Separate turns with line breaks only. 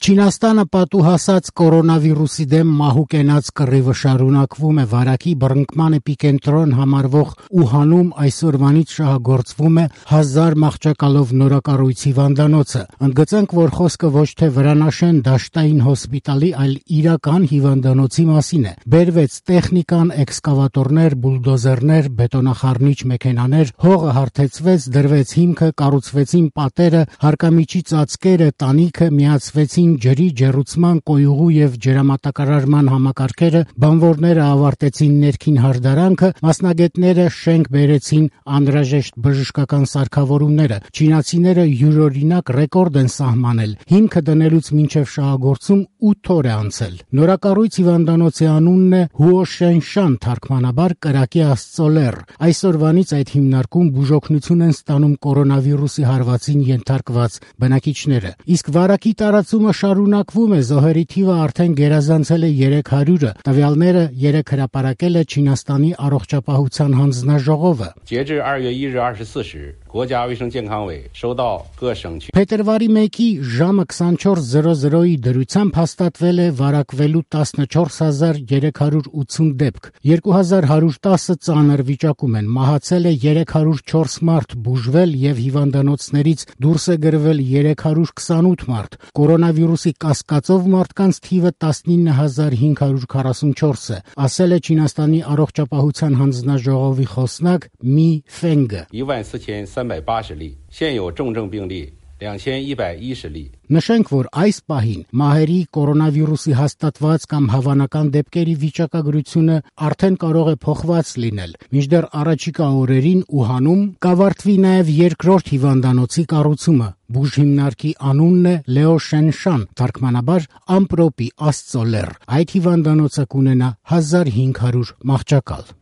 Չինաստանը պատուհասած կորոնավիրուսի դեմ մահու կենած կռիվը շարունակվում է։ Վարակի բռնկման էպիկենտրոն համարվող Ուհանում այսօրվանից շահագործվում է 1000 մահճակալով նորակառույց հիվանդանոցը։ Ընդգծենք, որ խոսքը ոչ թե վրանաշեն դաշտային հոսպիտալի, այլ իրական հիվանդանոցի մասին է։ Բերվեց տեխնիկան, էքսկավատորներ, բուլդոզերներ, բետոնախառնիչ մեքենաներ, հողը հարթեցվեց, դրվեց հիմքը, կառուցվեցին պատերը, հարկամիջի ծածկերը, տանիքը, միացվեցին ջրի, ջեռուցման, կոյուղու եւ ջրամատակարարման համակարգերը, բանվորները ավարտեցին ներքին հարդարանքը, մասնագետները շենք բերեցին անհրաժեշտ բժշկական սարքավորումները։ Չինացիները յուրօրինակ ռեկորդ են սահմանել։ Հիմքը դնելուց մինչև շահագործում 8 օր է անցել։ Նորակառույց հիվանդանոցի անունն է Հուոշենշան, թարգմանաբար կրակի աստծո լեռ։ Այսօրվանից այդ հիմնարկում բուժօգնություն են ստանում կորոնավիրուսի հարվածին ենթարկված բնակիչները։ Իսկ վարակի տարածումը շարունակվում է, զոհերի թիվը արդեն գերազանցել է 300-ը։ Տվյալները երեկ հրապարակել է Չինաստանի առողջապահության հանձնաժողովը։ Փետրվարի 1-ի ժամը 24:00-ի դրությամբ հաստատվել է վարակվելու 14380 դեպք, 2110-ը ծանր վիճակում են, մահացել է 304 մարդ, բուժվել եւ հիվանդանոցներից դուրս է գրվել 328 մարդ, կորոնավիրուսի կասկածով մարդկանց թիվը 19544 է, ասել է Չինաստանի առողջապահության հանձնաժողովի խոսնակ Մի Ֆենգը։
14380例，现有重症病例2110例。
Նշենք, որ այս պահին մահերի կորոնավիրուսի հաստատված կամ հավանական դեպքերի վիճակագրությունը արդեն կարող է փոխված լինել։ Մինչդեռ առաջիկա օրերին Ուհանում կավարտվի նաև երկրորդ հիվանդանոցի կառուցումը։ Բուժհիմնարկի անունն է Լեո Շենշան, թարգմանաբար ամպրոպի աստծո լեռ։ Այդ հիվանդանոցը կունենա 1500 մահճակալ։